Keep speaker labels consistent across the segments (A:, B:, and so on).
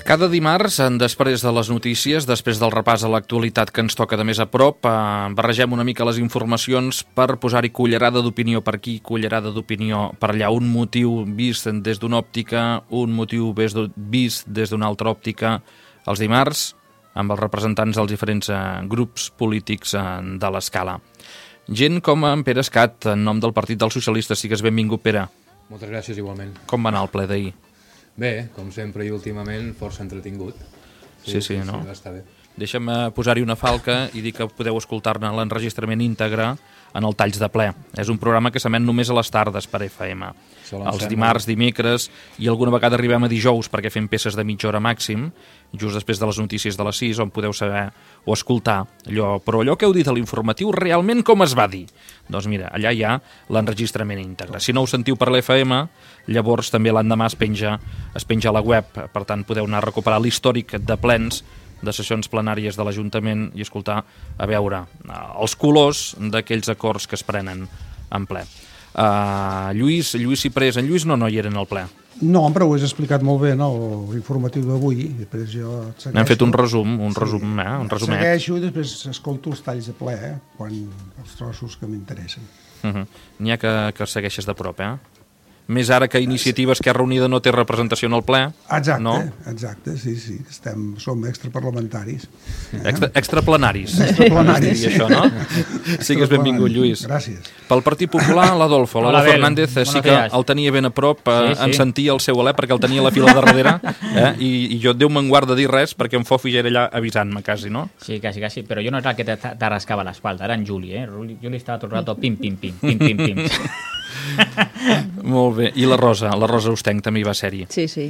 A: Cada dimarts, després de les notícies, després del repàs a l'actualitat que ens toca de més a prop, barregem una mica les informacions per posar-hi cullerada d'opinió per aquí, cullerada d'opinió per allà. Un motiu vist des d'una òptica, un motiu vist des d'una altra òptica, els dimarts, amb els representants dels diferents grups polítics de l'escala. Gent com en Pere Escat, en nom del Partit dels Socialistes. Sigues benvingut, Pere.
B: Moltes gràcies, igualment.
A: Com va anar el ple d'ahir?
B: Bé, com sempre i últimament, força entretingut.
A: Sí, no?
B: Va estar bé.
A: Deixa'm posar-hi una falca i dir que podeu escoltar-ne l'enregistrament íntegre en el Talls de Ple. És un programa que s'emet només a les tardes per FM. Els dimarts, dimecres i alguna vegada arribem a dijous perquè fem peces de mitja hora màxim, just després de les notícies de les 6, on podeu saber o escoltar allò. Però allò que heu dit a l'informatiu, realment com es va dir? Doncs mira, allà hi ha l'enregistrament íntegre. Si no ho sentiu per l'FM, llavors també l'endemà es penja a la web. Per tant, podeu anar a recuperar l'històric de plens, de sessions plenàries de l'Ajuntament i escoltar, a veure, els colors d'aquells acords que es prenen en ple. Lluís Ciprés, en Lluís no hi era en el ple.
C: No, però ho has explicat molt bé, no?, l'informatiu d'avui. Després jo et segueixo.
A: Hem fet un resumet.
C: Segueixo i després escolto els talls de ple, quan els trossos que m'interessen.
A: N'hi ha que segueixes de prop, Més ara que Iniciativa Esquerra Unida no té representació en el ple.
C: Exacte,
A: no?
C: Exacte, sí. Som extraparlamentaris.
A: Extraplenaris.
C: Extraplenaris.
A: Això, no? Sigues benvingut, Lluís.
C: Gràcies.
A: Pel Partit Popular, l'Adolfo Fernández sí que el tenia ben a prop, en sentia el seu alè perquè el tenia a la fila de darrere, i jo, Déu me'n guarda dir res perquè en Fofi ja era allà avisant-me quasi, no?
D: Sí, quasi, però jo no era el que te rascava l'espalda, era en Juli, Juli estava tot el rato pim, pim, pim, pim, pim, pim.
A: Molt bé, i la Rosa Ostenc també hi va ser-hi.
E: Sí.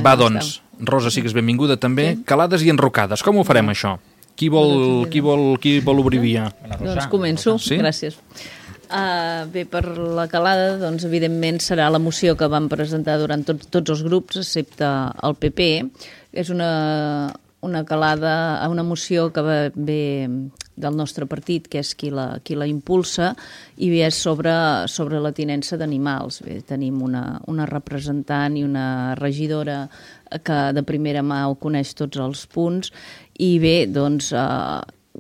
A: Va, doncs, Rosa, sigues benvinguda també. Sí. Calades i enrocades, com ho farem això? Qui vol obrir via?
E: Doncs començo, sí? Gràcies. Bé, per la calada, doncs, evidentment, serà la moció que vam presentar durant tots els grups, excepte el PP. És una calada, una moció que ve del nostre partit, que és qui la impulsa, i és sobre la tinença d'animals. Bé, tenim una representant i una regidora que de primera mà ho coneix tots els punts, i bé, doncs,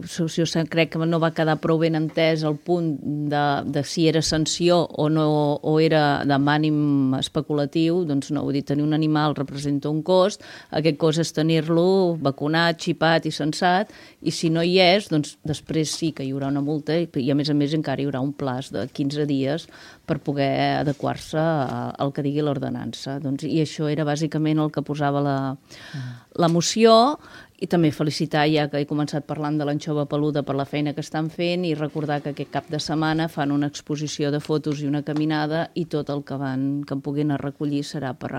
E: jo crec que no va quedar prou ben entès el punt de si era sanció o no, o era d'ànim especulatiu. Doncs no, vull dir, tenir un animal representa un cost, aquest cost és tenir-lo vacunat, xipat i censat, i si no hi és, doncs després sí que hi haurà una multa i a més encara hi haurà un plaç de 15 dies per poder adequar-se al que digui l'ordenança. Doncs, i això era bàsicament el que posava la moció. I també felicitar, ja que he començat parlant de l'anxova peluda, per la feina que estan fent, i recordar que aquest cap de setmana fan una exposició de fotos i una caminada, i tot el que en puguin recollir serà per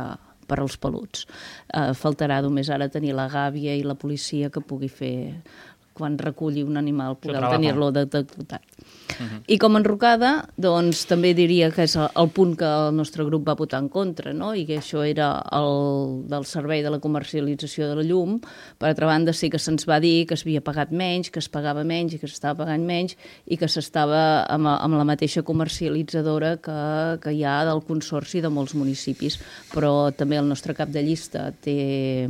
E: als peluts. Faltarà només ara tenir la gàbia i la policia que pugui fer, quan reculli un animal, poder tenir-lo detectat. I com a enrocada, doncs també diria que és el punt que el nostre grup va votar en contra, no? I que això era el del servei de la comercialització de la llum. Per altra banda, sí que se'ns va dir que s'havia pagat menys, que es pagava menys i que s'estava pagant menys, i que s'estava amb la mateixa comercialitzadora que hi ha del consorci de molts municipis. Però també el nostre cap de llista té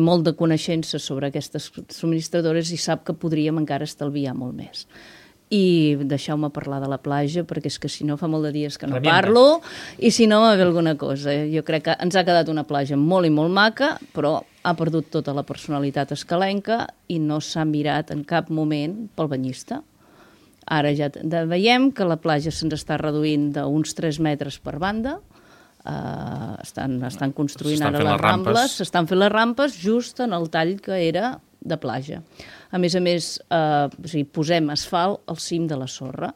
E: molt de coneixença sobre aquestes subministradores i sap que podríem encara estalviar molt més. I deixeu-me parlar de la platja, perquè és que si no fa molt de dies que no parlo, i si no va haver alguna cosa. Jo crec que ens ha quedat una platja molt i molt maca, però ha perdut tota la personalitat escalenca i no s'ha mirat en cap moment pel banyista. Ara ja veiem que la platja se'ns està reduint d'uns 3 metres per banda. Estan construint ara les rambles, s'estan fent les rampes just en el tall que era de platja. A més, posem asfalt al cim de la sorra.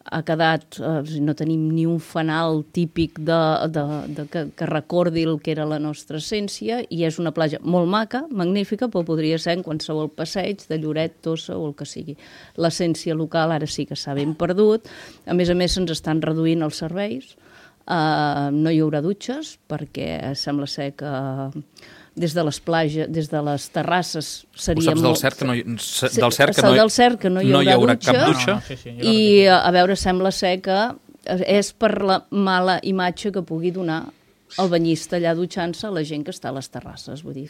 E: Ha quedat, no tenim ni un fanal típic que recordi el que era la nostra essència, i és una platja molt maca, magnífica, però podria ser en qualsevol passeig de Lloret, Tossa o el que sigui. L'essència local ara sí que s'ha ben perdut. A més, se'ns estan reduint els serveis. No hi haurà dutxes perquè sembla ser que des de les plages, des de les terrasses seria
A: Ho saps del cert que no hi haurà cap dutxa?
E: I a veure, sembla ser que és per la mala imatge que pugui donar el banyista allà dutxant-se a la gent que està a les terrasses, vull dir.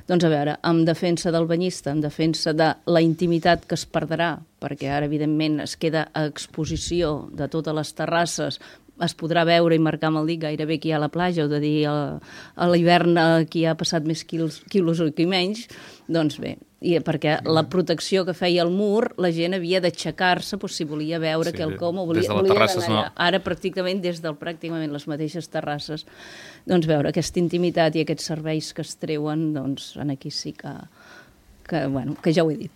E: Doncs a veure, en defensa del banyista, en defensa de la intimitat que es perdrà, perquè ara, evidentment, es queda a exposició de totes les terrasses, es podrà veure i marcar amb el dit gairebé qui hi ha a la platja, o de dir a l'hivern qui ha passat més quilos o qui menys, doncs bé, perquè la protecció que feia el mur, la gent havia d'aixecar-se si volia veure quelcom o volia anar allà. Ara pràcticament des del pràcticament les mateixes terrasses, doncs veure aquesta intimitat i aquests serveis que es treuen, doncs aquí sí que ja ho he dit.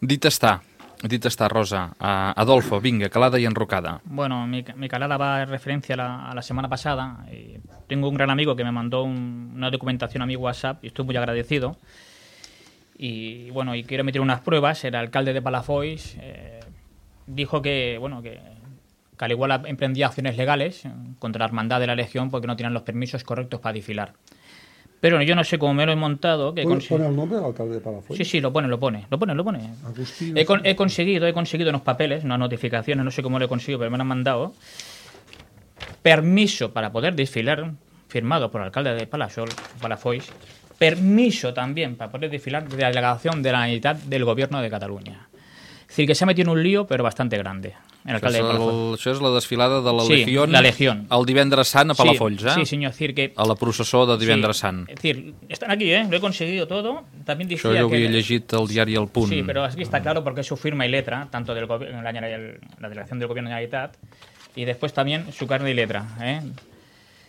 A: Dit está, Rosa. Adolfo, venga, calada y enrocada.
D: Bueno, mi calada va en referencia a la semana pasada. Tengo un gran amigo que me mandó una documentación a mi WhatsApp y estoy muy agradecido. Y bueno, y quiero meter unas pruebas. El alcalde de Palafolls dijo que al igual emprendía acciones legales contra la hermandad de la Legión porque no tienen los permisos correctos para desfilar. Pero yo no sé cómo me lo he montado.
C: ¿Pone el nombre del alcalde de Palafolls?
D: Sí, lo pone.
C: Agustín.
D: He conseguido unos papeles, unas notificaciones, no sé cómo lo he conseguido, pero me lo han mandado. Permiso para poder desfilar, firmado por el alcalde de Palafolls. Permiso también para poder desfilar de la delegación de la Generalitat del Gobierno de Cataluña. Es decir, que se ha metido en un lío, pero bastante grande.
A: Això és la desfilada de la
D: Legión
A: el divendres sant a Palafolls,
D: Sí, señor. Es decir, que
A: a la processó de divendres sant.
D: Es decir, están aquí, lo he conseguido todo. También decía
A: Això jo ho havia llegit al diari El Punt.
D: Sí, pero aquí está claro porque es su firma y letra, tanto de la delegación del Gobierno de la Generalitat, y después también su carne y letra.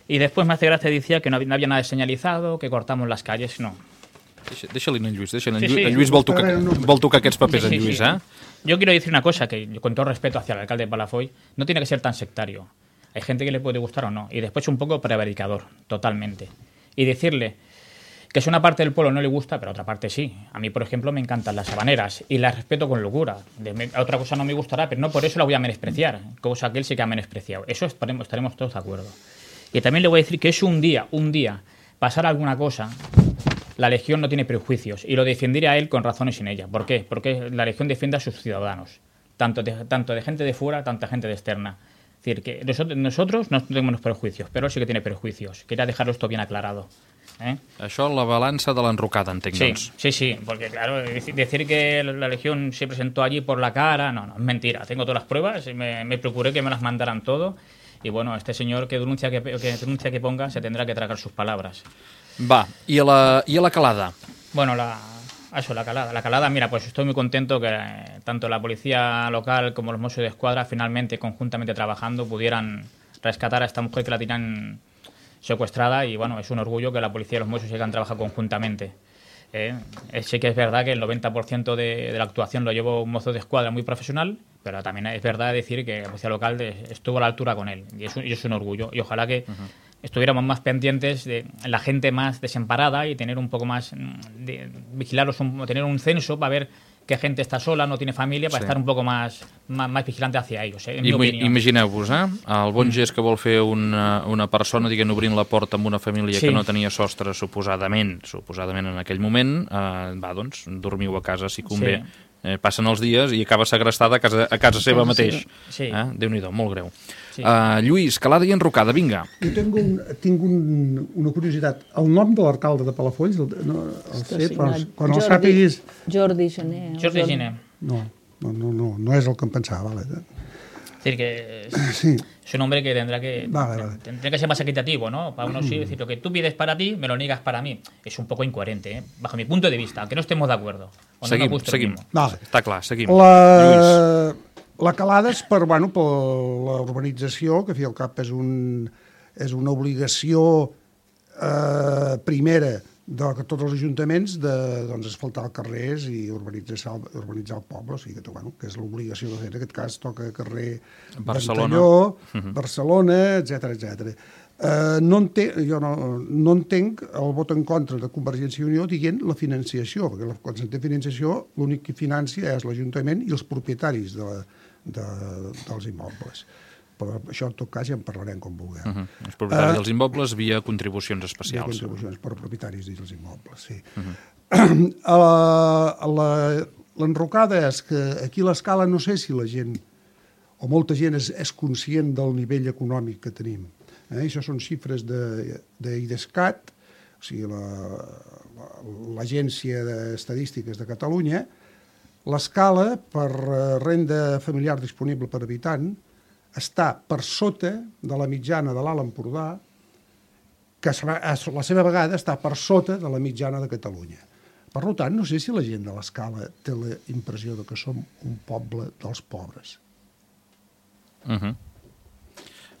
D: Y después me hace gracia, decía que no había nada señalizado, que cortamos las calles, no.
A: Deixa-li en Lluís, En Lluís vol tocar aquests papers, en Lluís,
D: Yo quiero decir una cosa, que con todo respeto hacia el alcalde de Palafolls, no tiene que ser tan sectario. Hay gente que le puede gustar o no, y después un poco prevaricador, totalmente. Y decirle que es una parte del pueblo no le gusta, pero otra parte sí. A mí, por ejemplo, me encantan las habaneras y las respeto con locura. Otra cosa no me gustará, pero no por eso la voy a menospreciar, cosa que él sí que ha menospreciado. Eso estaremos todos de acuerdo. Y también le voy a decir que es un día, pasar alguna cosa, la Legión no tiene prejuicios, y lo defenderé a él con razones sin ella. ¿Por qué? Porque la Legión defiende a sus ciudadanos, tanto de gente de fuera, tanta gente de externa. Es decir, que nosotros no tenemos prejuicios, pero él sí que tiene prejuicios. Quería dejarlo esto bien aclarado.
A: Això, la balança de l'enrocada, entenc, doncs.
D: Sí, porque claro, decir que la Legión se presentó allí por la cara, no, es mentira. Tengo todas las pruebas, me procuré que me las mandaran todo, y bueno, este señor que denuncia que ponga se tendrá que tragar sus palabras.
A: Va, i a la calada?
D: Bueno, la calada. La calada, mira, pues estoy muy contento que tanto la policía local como los Mossos de Escuadra finalmente, conjuntamente trabajando, pudieran rescatar a esta mujer que la tenían secuestrada, y bueno, es un orgullo que la policía y los Mossos hayan trabajado conjuntamente. Sí que es verdad que el 90% de la actuación lo llevó un mozo de escuadra muy profesional, pero también es verdad decir que la policía local estuvo a la altura con él, y es un orgullo, y ojalá que estuviéramos más pendientes de la gente más desamparada y tener un poco más vigilarlos, tener un censo para ver qué gente està sola, no tiene família, per estar un poc més vigilante hacia ells, en mi opinió.
A: Imagineu-vos, el bon gest que vol fer una persona, diguem, obrint la porta amb una família que no tenia sostre, suposadament en aquell moment, va, doncs, dormiu a casa si convé. Passen els dies i acaba segrestada a casa seva mateix. Déu-n'hi-do, molt greu. Lluís, calada i enrocada, vinga.
C: Jo tinc una curiositat. El nom de l'alcalde de Palafolls, quan el sàpiguis...
E: Jordi Gené.
D: Jordi Gené.
C: No és el que em pensava, vale.
D: Es decir, que es un hombre que tendrá que ser más equitativo, ¿no? Para uno sí, decir, lo que tú pides para ti, me lo niegas para mí. Es un poco incoherente, bajo mi punto de vista, aunque no estemos de acuerdo.
A: Seguim. Està clar, seguim.
C: La calada és per la urbanització, que al fi al cap és una obligació primera de tots els ajuntaments d'asfaltar els carrers i urbanitzar el poble, o sigui que és l'obligació de fer. En aquest cas toca carrer Ventalló, Barcelona, etc. Jo no entenc el vot en contra de Convergència i Unió dient la financiació, perquè quan s'entén financiació l'únic que financia és l'Ajuntament i els propietaris dels immobles. però això en tot cas ja en parlarem com vulguem.
A: Els propietaris dels immobles via contribucions especials.
C: Via contribucions per propietaris dels immobles, sí. L'enrocada és que aquí a l'Escala no sé si la gent, o molta gent és conscient del nivell econòmic que tenim. Això són xifres d'IDESCAT, o sigui, l'Agència d'Estadístiques de Catalunya. L'Escala, per renda familiar disponible per habitant, està per sota de la mitjana de l'Alt Empordà, que a la seva vegada està per sota de la mitjana de Catalunya. Per tant, no sé si la gent de l'Escala té la impressió que som un poble dels pobres.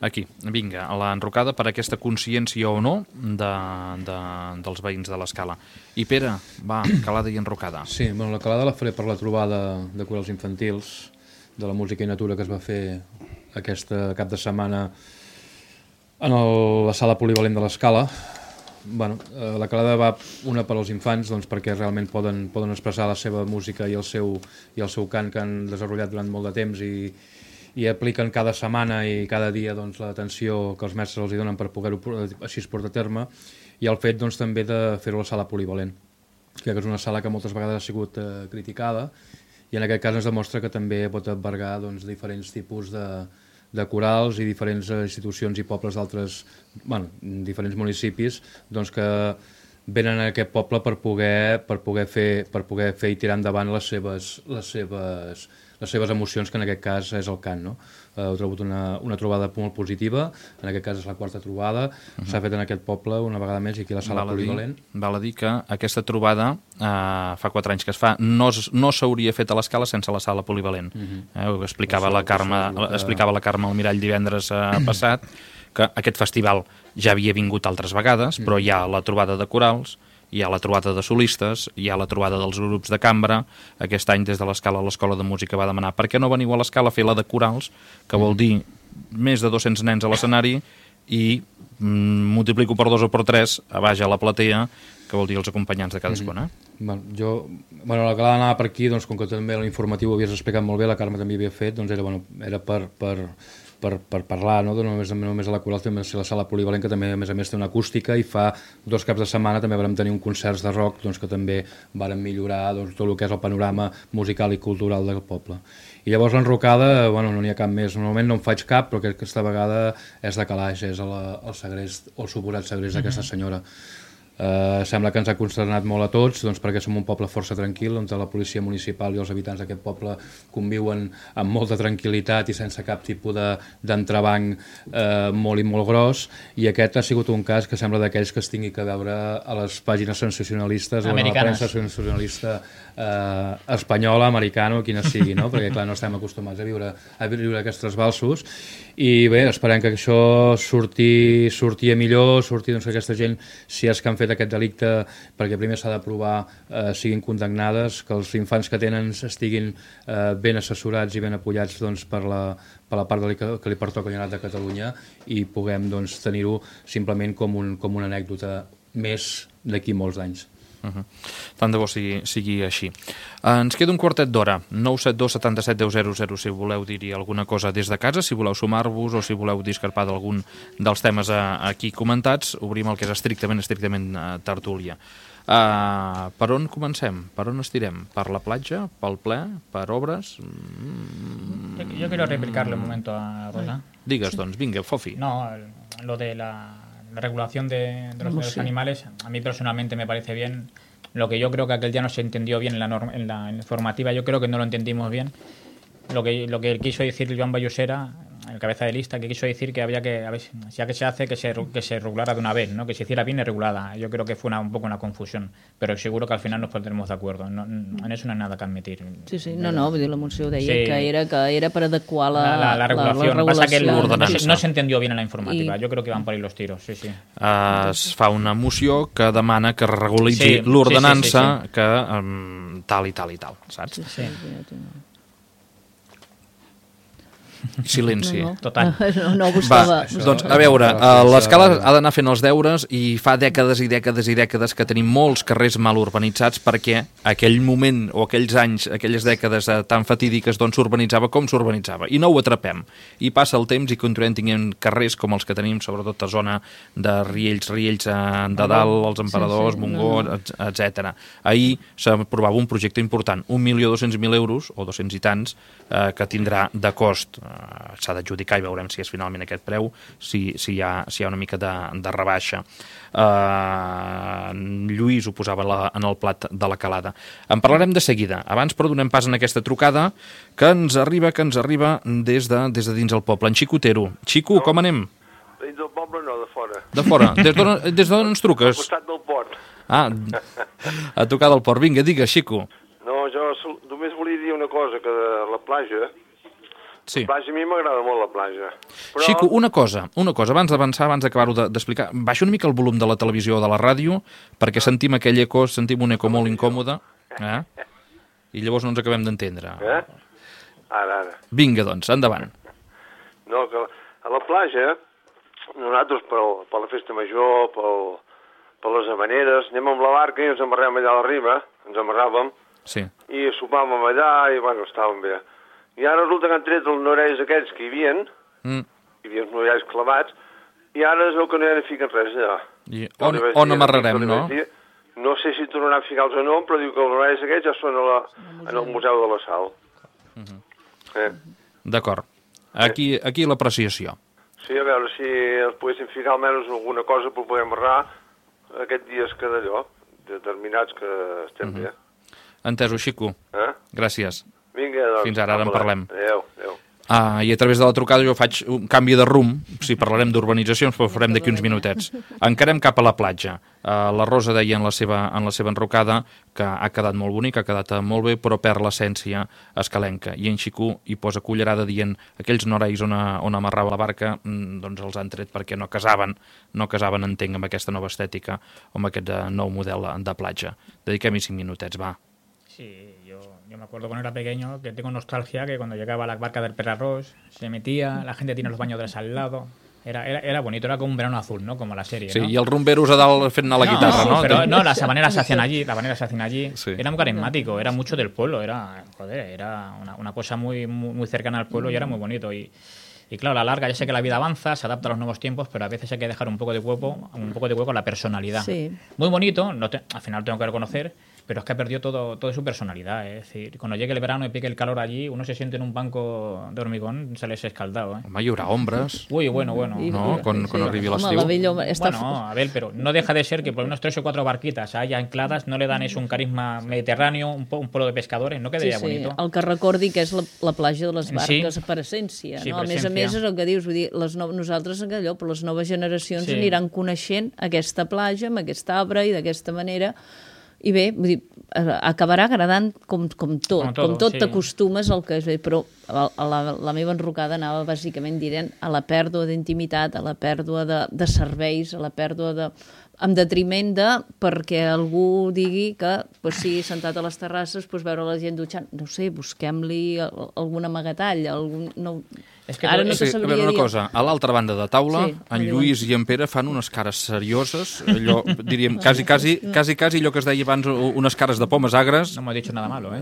A: Aquí, vinga, a l'enrocada per aquesta consciència o no dels veïns de l'Escala. I Pere, va, calada i enrocada.
B: Sí, bueno, la calada la faré per la trobada de corals infantils, de la música i natura que es va fer aquest cap de setmana en la sala polivalent de l'Escala. Bueno, la calada va una per als infants, doncs, perquè realment poden expressar la seva música i el seu cant que han desenvolupat durant molt de temps i apliquen cada setmana i cada dia doncs, l'atenció que els mestres els donen per poder-ho així portar a terme, i el fet doncs, també de fer-ho a la sala polivalent, que és una sala que moltes vegades ha sigut criticada, i en aquest cas ens demostra que també pot albergar doncs, diferents tipus de corals i diferents institucions i pobles d'altres, diferents municipis, doncs, que venen a aquest poble per poder fer i tirar endavant les seves emocions, que en aquest cas és el cant, no? Heu trobat una trobada molt positiva, en aquest cas és la quarta trobada, s'ha fet en aquest poble una vegada més i aquí a la sala polivalent.
A: Val a dir que aquesta trobada fa 4 anys que es fa, no s'hauria fet a l'Escala sense la sala polivalent. Ho explicava la Carme Almirall divendres passat, que aquest festival ja havia vingut altres vegades, però hi ha la trobada de corals, hi ha la trobada de solistes, hi ha la trobada dels grups de cambra. Aquest any des de l'Escala l'Escola de Música va demanar per què no veniu a l'Escala a fer la de corals, que vol dir més de 200 nens a l'escenari, i multiplico per 2 o per 3 a baix a la platea, que vol dir els acompanyants de cadascuna.
B: La calada anava per aquí, doncs, com que també l'informatiu ho havies explicat molt bé, la Carme també havia fet, doncs era per parlar, no només a la coral, també a la sala polivalent, que també a més té una acústica, i fa 2 caps de setmana també vam tenir un concert de rock, doncs, que també varen millorar tot el que és el panorama musical i cultural del poble. I llavors l'enrocada, no n'hi ha cap més, normalment no en faig cap, però aquesta vegada és de calaix, és el segrest, o el suposat segrest d'aquesta senyora. Sembla que ens ha consternat molt a tots, doncs, perquè som un poble força tranquil, on la policia municipal i els habitants d'aquest poble conviuen amb molta tranquil·litat i sense cap tipus d'entrebanc molt i molt gros, i aquest ha sigut un cas que sembla d'aquells que es tingui que veure a les pàgines sensacionalistes o a la premsa sensacionalista espanyola, americana o quina sigui, no? Perquè clar, no estem acostumats a viure aquests trasbalsos, i bé, esperem que això surti millor, doncs, que aquesta gent, si és que han fet aquest delicte, perquè primer s'ha de provar, siguin condemnades, que els infants que tenen estiguin ben assessorats i ben apoyats, doncs, per la part que li pertoca a la Generalitat de Catalunya, i puguem, doncs, tenir-ho simplement com una anècdota més d'aquí molts anys.
A: Tant de bo sigui així. Ens queda un quartet d'hora. 972 77 10 00 si voleu dir-hi alguna cosa des de casa, si voleu sumar-vos o si voleu discrepar d'algun dels temes aquí comentats. Obrim el que és estrictament tertúlia. Per on comencem? Per on estirem? Per la platja? Pel ple? Per obres?
D: Yo quiero replicarle un momento a Rosa.
A: Digues, doncs, vinga, Fofi.
D: No, lo de la regulación de los animales, a mí personalmente me parece bien. Lo que yo creo que aquel día no se entendió bien en la informativa, yo creo que no lo entendimos bien. Lo que quiso decir Joan Vallosera, el cabeza de lista, que quiso decir que había que, a ver, ya que se hace, que se regulara de una vez, ¿no? Que se hiciera bien y regulada. Yo creo que fue un poco una confusión, pero seguro que al final nos pondremos de acuerdo. En eso no hay nada que admitir.
E: Sí, vull dir, la moció deia que era per adequar
D: la regulación. Pasa que no se entendió bien en la informativa.
E: I...
D: Yo creo que van por ahí los tiros, sí.
A: Es fa una moció que demana que regulitzi l'ordenança que tal i tal i tal, saps?
D: Sí.
A: Silenci.
D: Total.
E: No buscava...
A: Doncs, a veure, l'escala ha d'anar fent els deures i fa dècades i dècades i dècades que tenim molts carrers mal urbanitzats perquè aquell moment o aquells anys, aquelles dècades tan fatídiques d'on s'urbanitzava com s'urbanitzava. I no ho atrapem. I passa el temps i continuem tenint carrers com els que tenim, sobretot a zona de Riells de dalt, els Emperadors, Montgó, etc. Ahir s'aprovava un projecte important, 1.200.000 euros, o 200 i tants, que tindrà de cost. S'ha d'adjudicar i veurem si és finalment aquest preu, si hi ha una mica de rebaixa. Lluís ho posava en el plat de la calada. En parlarem de seguida. Abans, però, donem pas en aquesta trucada que ens arriba des de dins el poble. En Xico Otero. Xico, com anem?
F: Dins del poble no, de fora.
A: De fora. Des d'on ens truques?
F: Al costat del port.
A: A tocar del port. Vinga, digues, Xico.
F: No, jo només volia dir una cosa, que de la platja...
A: Sí.
F: La platja, a mi m'agrada molt la platja. Però...
A: Xico, una cosa, abans d'avançar, abans d'acabar-ho d'explicar, baixa una mica el volum de la televisió o de la ràdio, perquè sentim aquell eco, sentim un eco molt incòmode, i llavors no ens acabem d'entendre.
F: Ara.
A: Vinga, doncs, endavant.
F: No, que a la platja, nosaltres per la festa major, per les havaneres, anem amb la barca i ens amarrem allà a la riba, ens amarràvem,
A: sí.
F: I sopàvem allà i, bueno, estàvem bé. I ara resulta que han tret els norells aquests que hi havia els norells clavats, i ara es veu que no hi ha de ficar res allà.
A: I on amarrarem, no?
F: No sé si tornaran a ficar-los o no, però diu que els norells aquests ja són en el Museu de la Sal.
A: D'acord. Aquí l'apreciació.
F: Sí, a veure si els poguéssim ficar almenys alguna cosa per poder amarrar aquests dies que d'allò, determinats que estem bé.
A: Entesos, Xico. Gràcies.
F: Vinga, doncs.
A: Fins ara en parlem.
F: Adéu.
A: I a través de la trucada jo faig un canvi de rumb, si parlarem d'urbanitzacions, però ho farem d'aquí uns minutets. Encarem cap a la platja. La Rosa deia en la seva enrocada que ha quedat molt bonic, ha quedat molt bé, però perd l'essència escalenca. I en Xico hi posa cullerada dient aquells norells on amarrava la barca, doncs els han tret perquè no casaven, entenc, amb aquesta nova estètica o amb aquest nou model de platja. Dediquem-hi 5 minutets, va.
D: Sí, yo me acuerdo cuando era pequeño que tengo nostalgia que cuando llegaba a la barca del Perarroz se metía, la gente tiene los bañadores al lado. Era bonito, era como un verano azul, ¿no? Como la serie,
A: sí,
D: ¿no?
A: Y el rumberos a dalt fent anar la guitarra, ¿no?
D: Pero no, las habaneras se hacían allí.
A: Sí.
D: Era muy carismático, era mucho del pueblo, era una cosa muy, muy cercana al pueblo y era muy bonito. Y claro, a la larga, ya sé que la vida avanza, se adapta a los nuevos tiempos, pero a veces hay que dejar un poco de hueco a la personalidad. Sí. Muy bonito, al final tengo que reconocer, pero es que ha perdido todo su personalidad. Es decir, cuando llegue el verano y pique el calor allí, uno se siente en un banco de hormigón, se les escaldado.
A: Home, hi haurà ombres.
D: Uy, bueno.
A: No, quan arribi l'estiu.
D: Bueno, a ver, pero no deja de ser que por unos 3 o 4 barquitas haya ancladas, no le dan eso un carisma mediterráneo, un pueblo de pescadores, no quedaria bonito.
E: El que recordi que és la platja de les barques per essència.
D: Sí,
E: no? A més a més, és el que dius, vull dir, nosaltres allò, però les noves generacions aniran coneixent aquesta platja amb aquest arbre i d'aquesta manera. I bé, vull dir, acabarà agradant com tot t'acostumes al que és bé, però la meva enrocada anava bàsicament dient a la pèrdua d'intimitat, a la pèrdua de serveis, a la pèrdua en detriment perquè algú digui que sí, sentat a les terrasses, veure la gent dutxant, no sé, busquem-li algun amagatall, ara no te sabria dir.
A: Una cosa, a l'altra banda de taula, en Lluís i en Pere fan unes cares serioses, allò, diríem, quasi allò que es deia abans, unes cares de pomes agres.
D: No m'ha dit nada malo,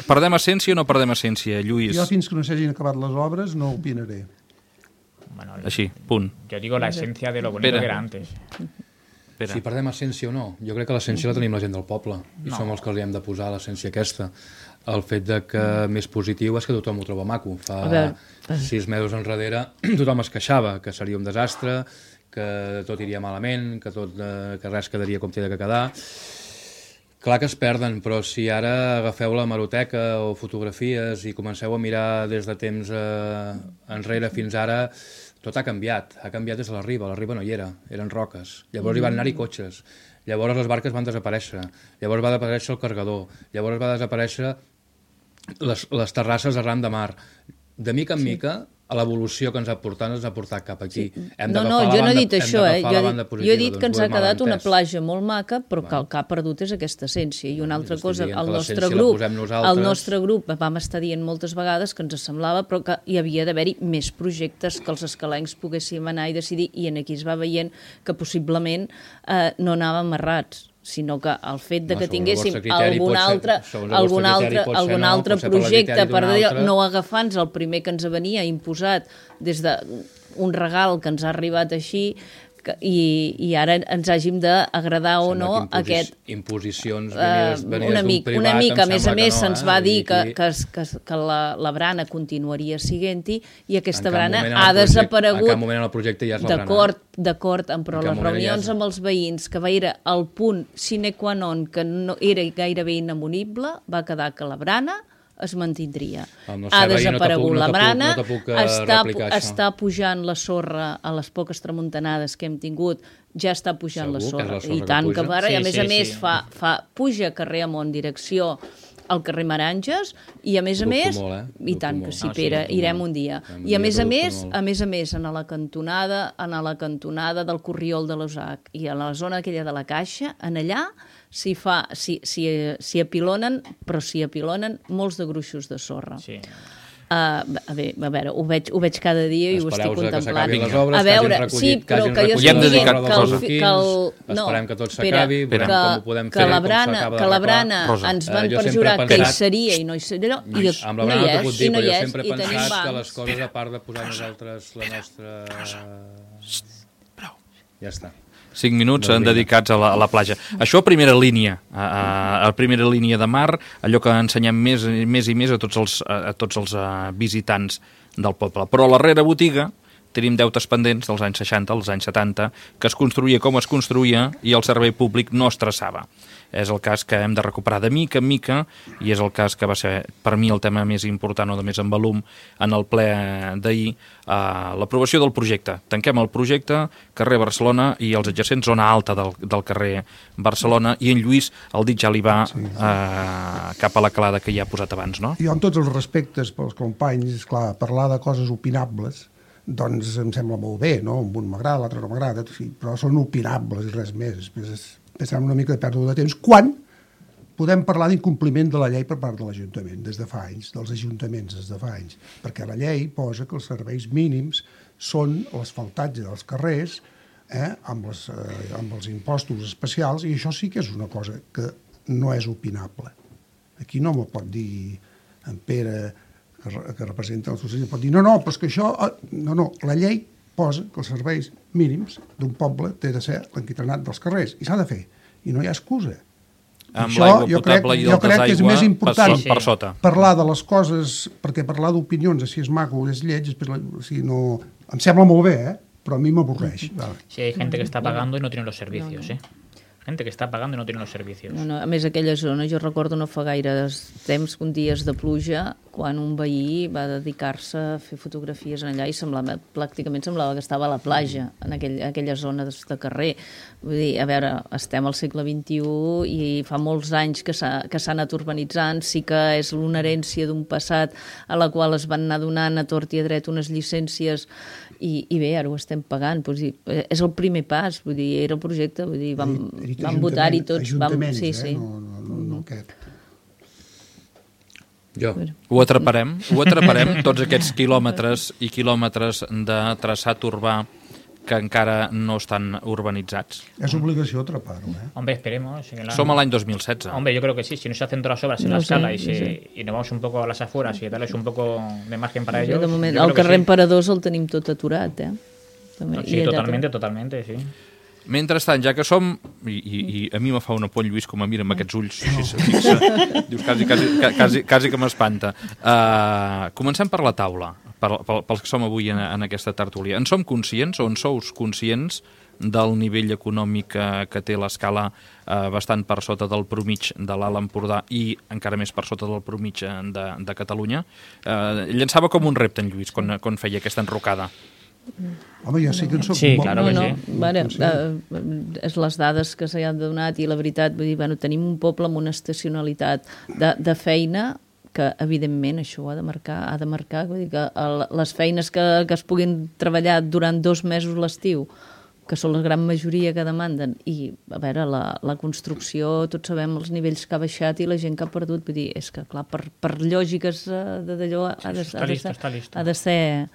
A: Perdem essència o no perdem essència, Lluís?
C: Jo fins que no s'hagin acabat les obres no opinaré.
D: Bueno,
A: així, punt.
D: Jo digo la esencia de lo bonito que era antes.
B: Pere. Si perdem essència o no, jo crec que l'essència la tenim la gent del poble i som els que li hem de posar l'essència aquesta. El fet de que més positiu és que tothom ho troba maco. Fa 6 mesos enrere tothom es queixava que seria un desastre, que tot iria malament, que res quedaria com té de quedar. Clar que es perden, però si ara agafeu la hemeroteca o fotografies i comenceu a mirar des de temps enrere fins ara, tot ha canviat des de la riba no hi era, eren roques, llavors hi van anar-hi cotxes, llavors les barques van desaparèixer, llavors va desaparèixer el cargador, llavors va desaparèixer les terrasses arran de mar. De mica en mica l'evolució que ens ha portat cap aquí.
E: No, jo no he dit això, jo he dit que ens ha quedat una platja molt maca, però que el que ha perdut és aquesta essència. I una altra cosa, el nostre grup vam estar dient moltes vegades que ens semblava però que hi havia d'haver-hi més projectes que els escalencs poguéssim anar i decidir, i aquí es va veient que possiblement no anàvem errats, sinó que el fet de que tinguéssim algun altre projecte per dir, no agafant-nos el primer que ens venia imposat des d'un regal que ens ha arribat així i ara ens hàgim d'agradar o no aquest...
B: Imposicions
E: una mica, a més se'ns va dir que la brana continuaria siguent-hi i aquesta brana ha desaparegut.
B: En cap moment en el projecte ja és la brana.
E: D'acord, però les reunions amb els veïns, que va era el punt sine qua non, que no era gairebé inamovible, va quedar que la brana es mantindria. Ha desaparegut la brana, està pujant la sorra a les poques tramuntanades que hem tingut, ja està pujant la sorra. I tant que va, i a més puja carrer amunt, direcció al carrer Maranges, i a més, i tant que sí, Pere, irem un dia. I a més, en la cantonada del Corriol de l'Osac i a la zona aquella de la Caixa, en allà s'hi apilonen, però s'hi apilonen molts de gruixos de sorra. Sí. A veure, ho veig cada dia i ho estic contemplant.
B: A veure,
E: sí, però que jo
B: esperem que tot s'acabi, veurem com ho podem fer,
E: que la brana ens van perjurar que hi seria i no hi seria, i no hi és, i
B: jo sempre he pensat que les coses, a part de posar nosaltres la nostra... Ja està.
A: 5 minuts dedicats a la platja. Això a primera línia, a primera línia de mar, allò que ensenyem més i més a tots els visitants del poble. Però a la darrera botiga tenim deutes pendents dels anys 60, als anys 70, que es construïa com es construïa i el servei públic no es traçava. És el cas que hem de recuperar de mica en mica i és el cas que va ser per mi el tema més important o de més en volum en el ple d'ahir, l'aprovació del projecte. Tanquem el projecte, carrer Barcelona i els adjacents zona alta del carrer Barcelona, i en Lluís el dit ja li va cap a la calada que ja ha posat abans, no?
C: Jo, amb tots els respectes pels companys, esclar, parlar de coses opinables doncs em sembla molt bé, no? Un m'agrada, l'altre no m'agrada, però són opinables i res més. Pensem una mica de pèrdua de temps, quan podem parlar d'incompliment de la llei per part de l'Ajuntament des de fa anys, dels ajuntaments des de fa anys, perquè la llei posa que els serveis mínims són l'asfaltatge dels carrers amb els impostos especials, i això sí que és una cosa que no és opinable. Aquí no m'ho pot dir en Pere, que representa el socialisme, pot dir no, però és que això... No, la llei posa que els serveis mínims d'un poble té de ser l'enquitrenat dels carrers, i s'ha de fer, i no hi ha excusa.
A: Això jo crec
C: que és més important
A: per sota.
C: Parlar de les coses, perquè parlar d'opinions, si és maco o és lleig, em sembla molt bé, però a mi m'avorreix.
D: Sí, hay gente que está pagando y no tiene los servicios, gente que està pagant i no té els servicis.
E: No, a més, aquella zona, jo recordo no fa gaire temps, un dies de pluja, quan un veí va dedicar-se a fer fotografies en allà i pràcticament semblava que estava a la platja, en aquella zona de carrer. Vull dir, a veure, estem al segle XXI i fa molts anys que s'ha anat urbanitzant, sí que és una herència d'un passat a la qual es van anar donant a tort i a dret unes llicències i bé, ara ho estem pagant. És el primer pas, vull dir, era el projecte, vull dir, vam votar-hi tots.
C: Ajuntaments, no aquest.
A: Ho atraparem, tots aquests quilòmetres i quilòmetres de traçat urbà que encara no estan urbanitzats.
C: Es obligació atraparlo,
D: Hombre, esperemos.
A: Som a l'any 2016.
D: Hombre, yo creo que sí. Si no se hacen todas las obras en la escala y nos vamos un poco a las afueras y darles un poco de margen para ellos...
E: De moment, el carrer Emperadors el tenim tot aturat,
D: Sí, totalment, sí.
A: Mentrestant, ja que som, i a mi me fa una por Lluís com a mira amb aquests ulls, si se fixa, dius, quasi que m'espanta. Comencem per la taula, pels que som avui en aquesta tertúlia. En som conscients, o en sous conscients, del nivell econòmic que té l'escala bastant per sota del promig de l'Alt Empordà i encara més per sota del promig de Catalunya? Llançava com un repte en Lluís quan feia aquesta enrocada.
C: Home, jo sé que en soc
D: sí, claro que sí.
E: És les dades que s'han donat i la veritat, vull dir, tenim un poble amb una estacionalitat de feina que evidentment això ha de marcar vull dir que les feines que es puguin treballar durant 2 mesos l'estiu, que són la gran majoria que demanden, i a veure, la construcció, tots sabem els nivells que ha baixat i la gent que ha perdut, vull dir, és que clar, per lògiques d'allò ha de ser,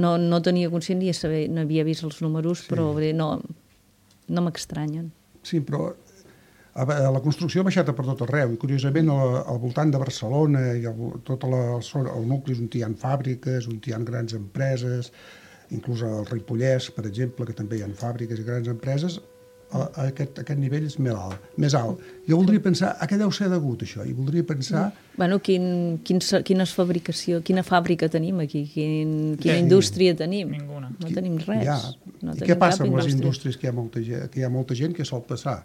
E: no tenia consciència, no havia vist els números, però vull dir, no m'extranyen.
C: Sí, però la construcció ha baixat per tot arreu, i curiosament al voltant de Barcelona i tot el nucli on hi ha fàbriques, on hi ha grans empreses, inclús al Ripollès, per exemple, que també hi ha fàbriques i grans empreses, aquest nivell és més alt. Jo voldria pensar, a què deu ser degut això? I voldria pensar...
E: Bueno, quina fàbrica tenim aquí? Quina indústria tenim?
D: Ninguna.
E: No tenim res.
C: I què passa amb les indústries que hi ha molta gent que sol passar?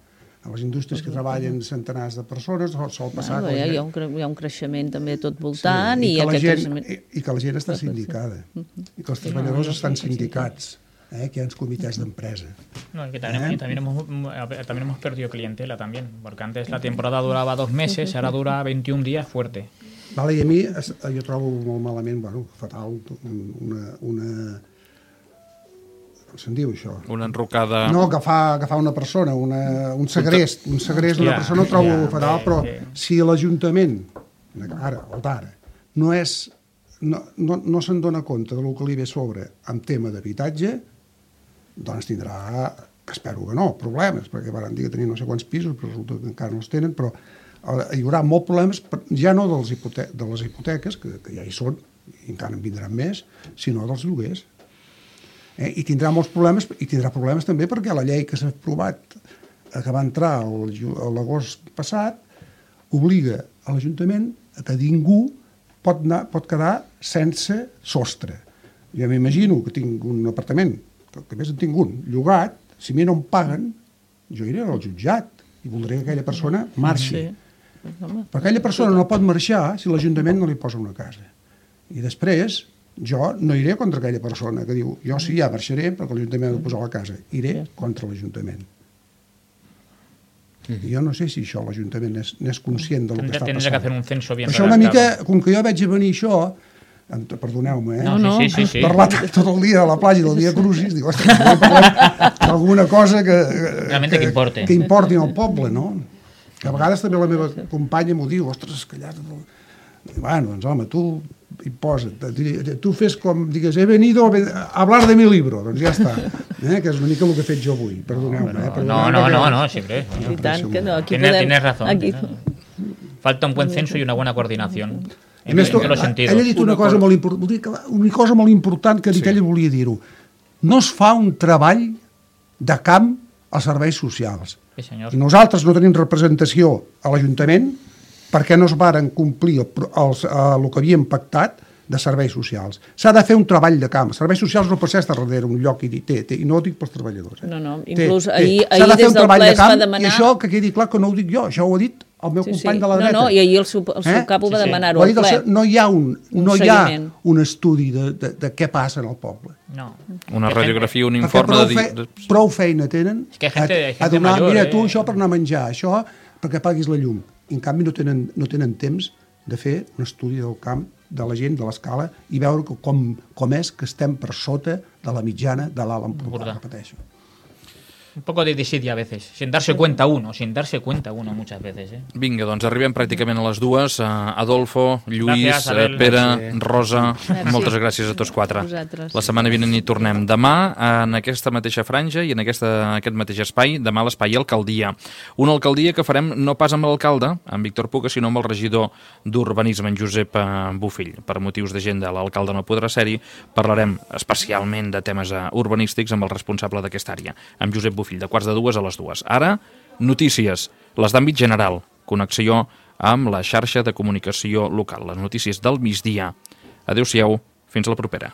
C: A les indústries que treballen centenars de persones sol passar...
E: Hi ha un creixement també tot voltant
C: i que la gent està sindicada i que els treballadors estan sindicats, que hi ha els comités d'empresa.
D: No, que también hemos perdido clientela también, porque antes la temporada duraba 2 meses, ahora dura 21 días fuerte.
C: Vale, i a mi jo trobo molt malament, fatal, se'n diu això?
A: Una enrocada...
C: No, agafar una persona, un segrest d'una persona ho trobo fatal, però si l'Ajuntament, ara, no se'n dona compte del que li ve sobre en tema d'habitatge, doncs tindrà, que espero que no, problemes, perquè van dir que tenien no sé quants pisos, però resulta que encara no els tenen, però hi haurà molts problemes, ja no de les hipoteques, que ja hi són, i encara en vindran més, sinó dels lloguers. I tindrà molts problemes, i tindrà problemes també perquè la llei que s'ha aprovat, que va entrar l'agost passat, obliga a l'Ajuntament que ningú pot quedar sense sostre. Jo m'imagino que tinc un apartament, que a més en tinc un, llogat, si a mi no em paguen, jo iré al jutjat i voldré que aquella persona marxi. Però aquella persona no pot marxar si l'Ajuntament no li posa una casa. I després... jo no iré contra aquella persona que diu jo sí, ja marxaré perquè l'Ajuntament ha de posar la casa. Iré contra l'Ajuntament. Jo no sé si això l'Ajuntament n'és conscient del que està passant.
D: Tendrà que fer un censo bien
C: redactado. Això una mica, com que jo veig venir això, perdoneu-me, parlar tot el dia a la platja del dia Crucis, dic, ostres, parlem d'alguna cosa que importi al poble, no? Que a vegades també la meva companya m'ho diu, ostres, que allà... Bueno, doncs home, tu hi posa't, tu fes com, digues, he venido a hablar de mi libro, doncs ja està, que és una mica el que he fet jo avui, perdoneu-me.
D: No, siempre.
E: I tant que no, aquí
D: tienes razón. Falta un buen censo y una buena coordinación. En todos los sentidos.
C: Ell ha dit una cosa molt important que ell volia dir-ho. No es fa un treball de camp als serveis socials. Nosaltres no tenim representació a l'Ajuntament perquè no es varen complir el que havíem pactat de serveis socials. S'ha de fer un treball de camp. Els serveis socials no pot ser estar darrere un lloc i no ho dic pels treballadors.
E: No, inclús ahir des del ple es va demanar...
C: I això que quedi clar que no ho dic jo, això ho ha dit el meu company de la dreta.
E: No, i ahir el seu cap ho va demanar-ho al ple.
C: No hi ha un estudi de què passa en el poble.
A: Una radiografia, un informe de...
C: Prou feina tenen a donar, mira tu això per anar a menjar, això perquè paguis la llum. I en canvi no tenen temps de fer un estudi del camp, de la gent, de l'escala, i veure com és que estem per sota de la mitjana de l'Alt Empordà, repeteixo.
D: Un poco de desidia a veces, sin darse cuenta uno muchas veces.
A: Vinga, doncs arribem pràcticament a les 2. Adolfo, Lluís, Pere, Rosa, moltes gràcies a tots 4. La setmana vinent hi tornem. Demà, en aquesta mateixa franja i en aquest mateix espai, demà l'espai Alcaldia. Una alcaldia que farem no pas amb l'alcalde, en Víctor Puga, sinó amb el regidor d'Urbanisme, en Josep Bofill. Per motius d'agenda, l'alcalde no podrà ser-hi. Parlarem especialment de temes urbanístics amb el responsable d'aquesta àrea, amb Josep Bofill, de 1:45 a les 2. Ara, notícies, les d'àmbit general, connexió amb la xarxa de comunicació local, les notícies del migdia. Adéu-siau, fins la propera.